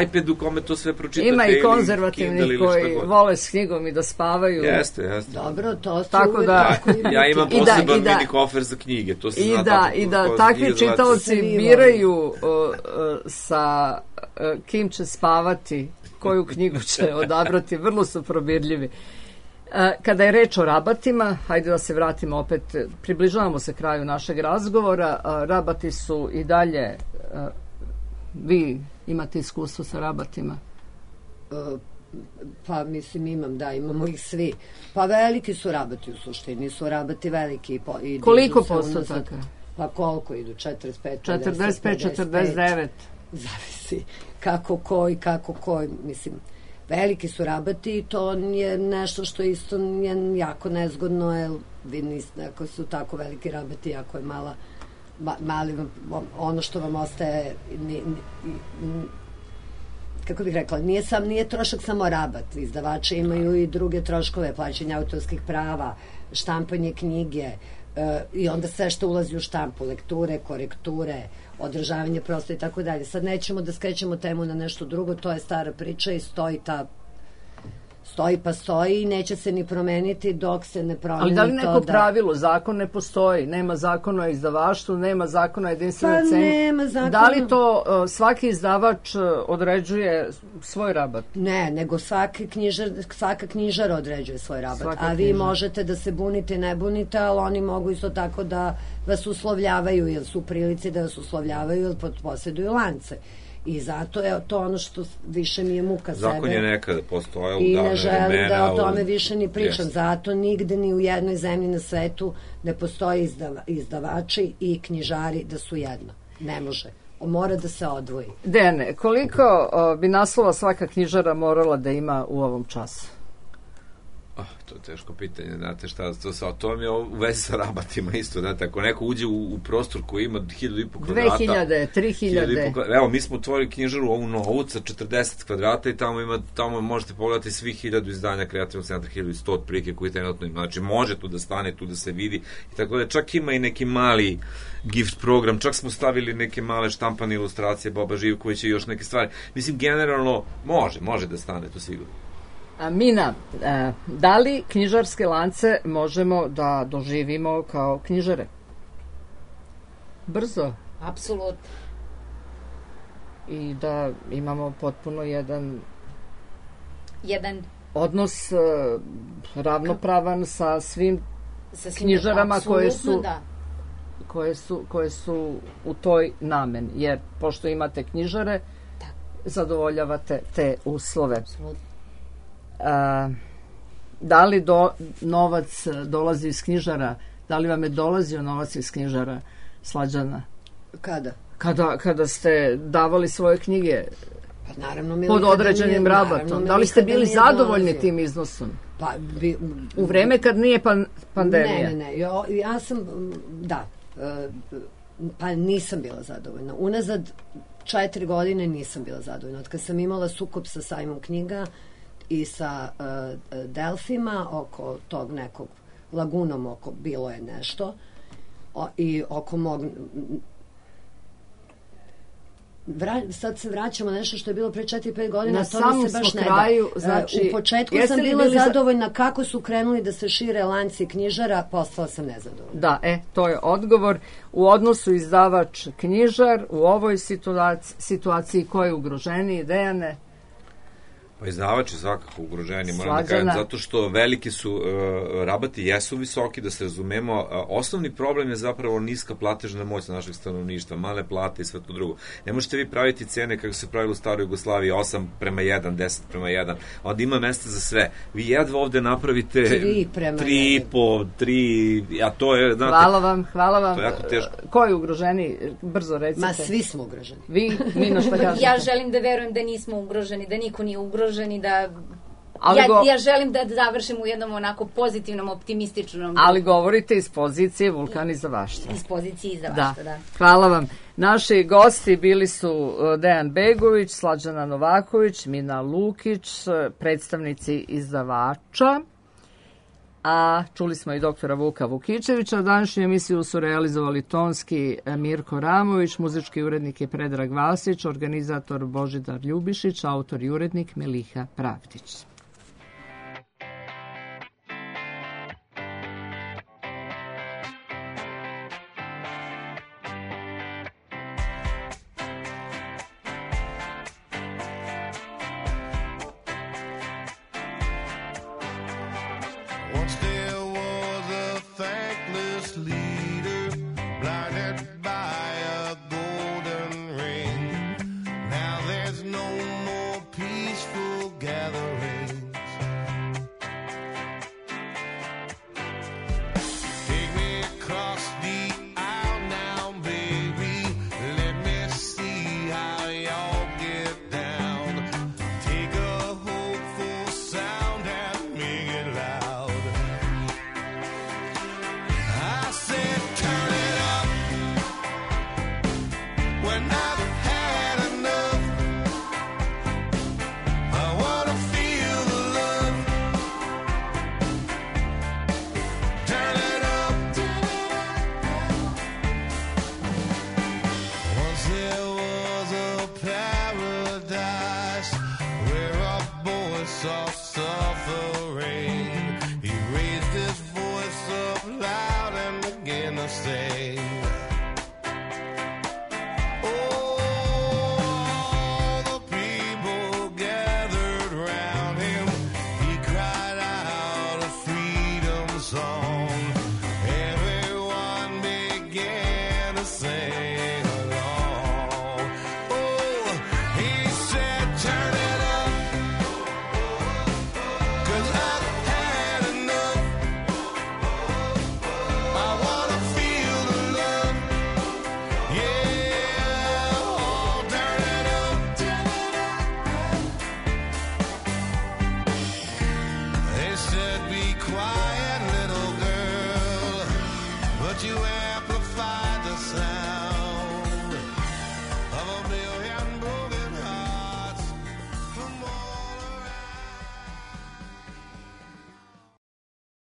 iPad u kome to sve pročitate. Ima i konzervativnih koji vole s knjigom i da spavaju. Jeste. Dobro, to su tako da... Ja imam poseban mini kofer za knjige, to se zna tako. I da takvi čitaoci biraju sa kim će spavati, koju knjigu će odabrati, vrlo su probirljivi. Kada je reč o rabatima, hajde da se vratimo opet, približavamo se kraju našeg razgovora, rabati su i dalje, vi imate iskustvo sa rabatima? Pa mislim imamo ih svi. Pa veliki su rabati u suštini, su rabati veliki. Koliko postotaka? Pa koliko idu? 45, 49? Zavisi kako koji, mislim, veliki su rabati i to je nešto što isto je jako nezgodno, jer vi niste, ako su tako veliki rabati, ako je mali, ono što vam ostaje, kako bih rekla, nije trošak samo rabat, izdavači imaju i druge troškove, plaćanje autorskih prava, štampanje knjige, i onda sve što ulazi u štampu, lekture, korekture, održavanje prostora i tako dalje. Sad nećemo da skrećemo temu na nešto drugo, to je stara priča i stoji i neće se ni promeniti dok se ne promeni to. Ali da li neko pravilo, zakon ne postoji, nema zakona o izdavaštvu, nema zakona o jedinstvenoj ceni. Nema zakona. Da li to svaki izdavač određuje svoj rabat? Ne, nego svaka knjižara određuje svoj rabat, a vi možete da se bunite i ne bunite, ali oni mogu isto tako da vas uslovljavaju, jer su u prilici da vas uslovljavaju, jer posjeduju lance. I zato je to ono što više mi je muka sebe. Zakon je nekada postojao u davne vremena. I ne želim da o tome više ni pričam. Zato nigde ni u jednoj zemlji na svetu ne postoje izdavači i knjižari da su jedno. Ne može. Mora da se odvoji. Dejane, koliko bi naslova svaka knjižara morala da ima u ovom času? To je teško pitanje, znate šta, to mi je u vezi sa rabatima isto, znate, ako neko uđe u prostor koji ima 1500 kvadrata... 2000, 3000... Evo, mi smo otvorili knjižaru ovu Novu sa 40 kvadrata i tamo možete pogledati svih 1000 izdanja kreativnog centra, 1100 otprilike koji trenutno ima, znači može tu da stane, tu da se vidi i tako da čak ima i neki mali gift program, čak smo stavili neke male štampane ilustracije Boba Živkovića i još neke stvari, mislim, generalno može da stane, to sigurno. Mina, da li knjižarske lance možemo da doživimo kao knjižare? Brzo? Apsolutno. I da imamo potpuno jedan odnos ravnopravan sa svim knjižarama koje su u toj nameni. Jer pošto imate knjižare, zadovoljavate te uslove. Apsolutno. Da li novac dolazi iz knjižara? Da li vam je dolazio novac iz knjižara, Slađana? Kada? Kada ste davali svoje knjige Pa naravno, pod određenim rabatom. Da li ste bili zadovoljni tim iznosom? Pa, u vreme kad nije pandemija? Ne. Ja sam, da, pa nisam bila zadovoljna. Unazad 4 godine nisam bila zadovoljna. Od kad sam imala sukob sa sajmom knjiga i sa Delfima oko tog nekog lagunom, oko bilo je nešto i oko mog... sad se vraćamo nešto što je bilo pre 4-5 godina, na to mi se baš ne da. Kraju, znači, u početku sam bila zadovoljna kako su krenuli da se šire lanci knjižara, postala sam nezadovoljna. Da, to je odgovor. U odnosu izdavač knjižar, u ovoj situaciji ko je ugroženiji, Dejane? Pa izdavač je svakako ugroženi, moram da kažem, zato što veliki su, rabati jesu visoki, da se razumemo, osnovni problem je zapravo niska platežna moć našeg stanovništva, male plate i sve to drugo. Ne možete vi praviti cene kako se pravilo u staroj Jugoslaviji, 8:1, 10:1, onda ima mesta za sve. Vi jedva ovde napravite 3,5, 3, a to je, znate... Hvala vam. To je jako teško. Ko je ugroženi? Brzo recite. Ma, svi smo ugroženi. Vi, Nino, šta kažete? Ja želim da verujem da nismo ugroženi, da niko nije ugroženi, da... Ja želim da završim u jednom onako pozitivnom, optimističnom... Ali govorite iz pozicije Vulkan izdavaštva. Iz pozicije izdavaštva, da. Hvala vam. Naši gosti bili su Dejan Begović, Slađana Novaković, Mina Lukić, predstavnici izdavača, a čuli smo i doktora Vuka Vukičevića. Današnju emisiju su realizovali tonski Mirko Ramović, muzički urednik je Predrag Vasić, organizator Božidar Ljubišić, autor i urednik Meliha Pravdić. You